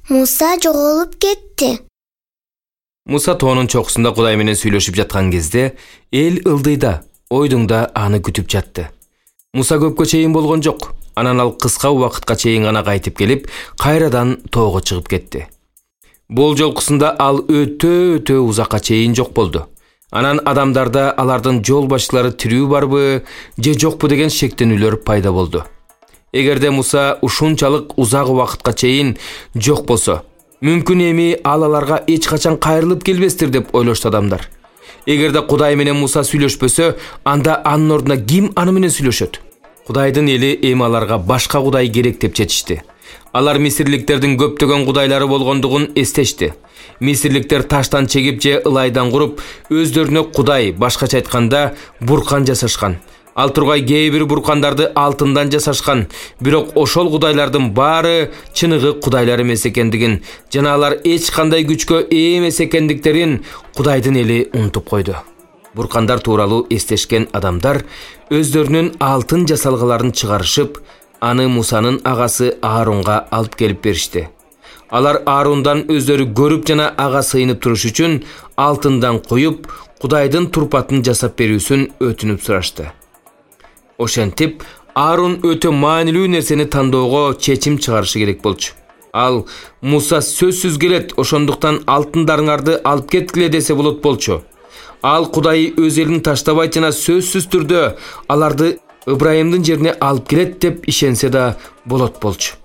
Муса жоголуп кетти. Муса тоонун чокусунда Кудай менен сүйлөшүп жаткан кезде эл ылдыйда, ойдуңда аны күтүп жатты. Муса көпкө чейин болгон жок. Анан ал кыска убакытка чейин гана кайтып келип, кайрадан тоого чыгып кетти. Бул жолкусунда ал өтө узакка чейин жок болду. Анан адамдарда алардын жол башчылары тирүү барбы же жокпу деген шектенүүлөр пайда болду. Эгерде Муса ушунчалык узак убакытка чейин жок болсо, мүмкүн эми аларга эч качан кайрылып келбестир деп ойлошту адамдар. Эгерде Кудай менен Муса сүйлөшпөсө, анда анын ордуна ким аны менен сүйлөшөт? Кудайдын эли эми аларга башка кудай керек деп чечишти. Алар мисирликтердин көптөгөн кудайлары болгондугун эстешти. Мисирликтер таштан чегип же ылайдан куруп, өздөрүнө кудай, башкача айтканда, буркан жасашкан. Ал тургай кээ бир буркандарды алтындан жасашкан, бирок ошол кудайлардын баары чыныгы кудайлар эмес экендигин, жана алар эч кандай күчкө ээ эмес экендиктерин Кудайдын эли унутуп койду. Буркандар тууралуу эстешкен адамдар өздөрүнүн алтын жасалгаларын чыгарышып, аны Мусанын агасы Аарунга алып келип беришти. Алар Аарундан өздөрү көрүп жана ага сыйынып туруш үчүн алтындан коюп, Кудайдын турпатын жасап берүүсүн өтүнүп сурашты. Ошентип, Аарун өтө маанилүү нерсени тандоого чечим чыгарышы керек болчу. Ал Муса сөзсүз келет, ошондуктан алтындарыңарды алып кеткиле десе болот болчу. Ал Кудай өз элин таштабайт жана сөзсүз түрдө аларды Ыбрайымдын жерине алып келет деп ишенсе да болот болчу.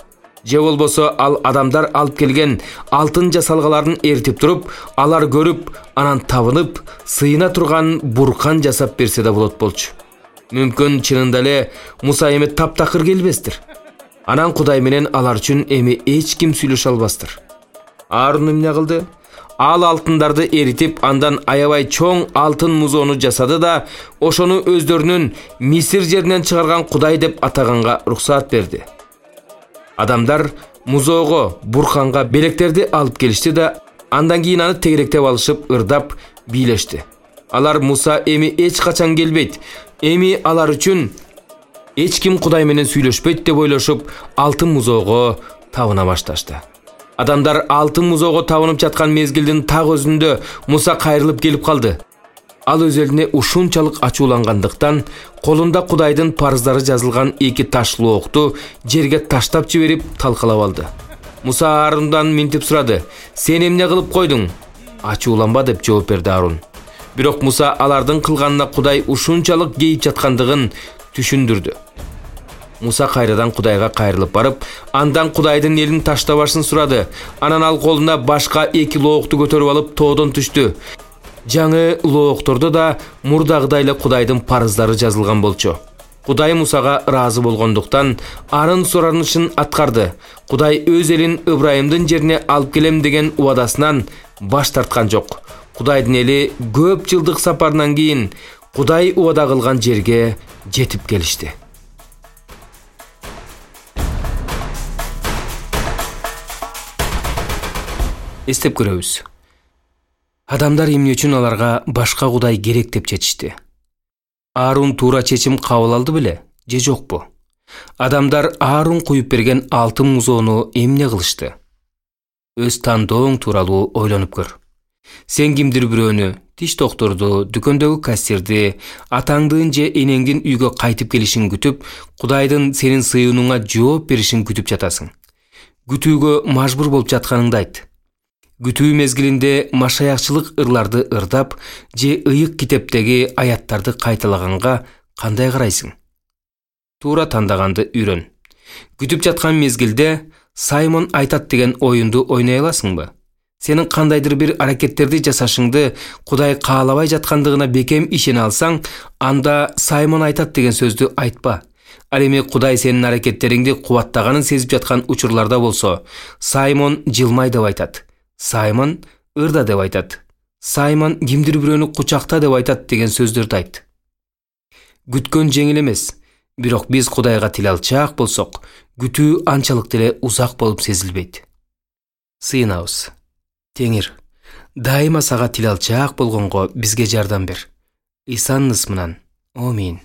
Же болбосо ал адамдар алып келген алтын жасалгаларын эртип туруп, алар көрүп, анан табынып, сыйына турган буркан жасап берсе да болот болчу. Мүмкүн чынында эле Муса эми таптакыр келбестир. Анан Кудай менен алар үчүн эми эч ким сүйлөшө албастыр. Аарун эмне кылды? Ал алтындарды эритип, андан аябай чоң алтын музоону жасады да, ошону өздөрүнүн Мисир жеринен чыгарган Кудай деп атаганга уруксаат берди. Адамдар музоого, бурканга белектерди алып келишти да, андан кийин аны тегеректеп алышып, ырдап, бийлешти. Алар Муса эми эч качан келбейт, эми алар үчүн эч ким Кудай менен сүйлөшпөйт деп ойлошуп, алтын музоого табына башташты. Адамдар алтын музоого табынып жаткан мезгилдин так өзүндө Муса кайрылып келип калды. Ал өз элине ушунчалык ачуулангандыктан колунда Кудайдын парыздары жазылган 2 таш лоокту жерге таштап жиберип талкалап алды. Муса Аарундан минтип сурады: "Сен эмне кылып койдуң?" "Ачууланба" деп жооп берди Аарун. Бирок Муса алардын кылганына Кудай ушунчалык кейип жаткандыгын түшүндүрдү. Муса кайрадан Кудайга кайрылып барып, андан Кудайдын элин таштабашын сурады. Анан ал колуна башка 2 лоокту көтөрүп алып тоодон түштү. Жаңы лооктордо да мурдагыдай эле Кудайдын парыздары жазылган болчу. Кудай Мусага ыраазы болгондуктан анын суранышын аткарды. Кудай өз элин Ыбрайымдын жерине алып келем деген убадасынан баш тарткан жок. Кудайдын эли көп жылдык сапарынан кийин Кудай убада кылган жерге жетип келишти. Эстеп көрөбүз. Адамдар эмне үчүн аларга башка Кудай керек деп чечишти? Аарун туура чечим кабыл алды беле же жокпу? Адамдар Аарун куюп берген алтын музоону эмне кылышты? Өз тандооң тууралуу ойлонуп көр. Сен кимдир бирөөнү, тиш докторду, дүкөндөгү кассирди, атаңдын же энеңдин үйгө кайтып келишин күтүп, Кудайдын сенин сыйынууңа жооп беришин күтүп жатасың. Күтүүгө мажбур болуп жатканыңды айт. Күтүү мезгилинде машаякчылык ырларды ырдап же ыйык китептеги аяттарды кайталаганга кандай карайсың? Туура тандаганды үйрөн. Күтүп жаткан мезгилде Саймон айтат деген оюнду ойной аласыңбы? Сенин кандайдыр бир аракеттерди жасашыңды Кудай каалабай жаткандыгына бекем ишене алсаң, анда Саймон айтат деген сөздү айтпа. Ал эми Кудай сенин аракеттериңди кубаттаганын сезип жаткан учурларда болсо, Саймон жылмай деп айтат. Саймон ырда деп айтат. Саймон кимдир бирөөнү кучакта деп айтат деген сөздөрдү айт. Күткөн жеңил эмес, бирок биз Кудайга тил алчаак болсок, күтүү анчалык деле узак болуп сезилбейт. Сыйынабыз. Теңир, дайыма сага тил алчаак болгонго бизге жардам бер. Исанын ысмынан. Амин.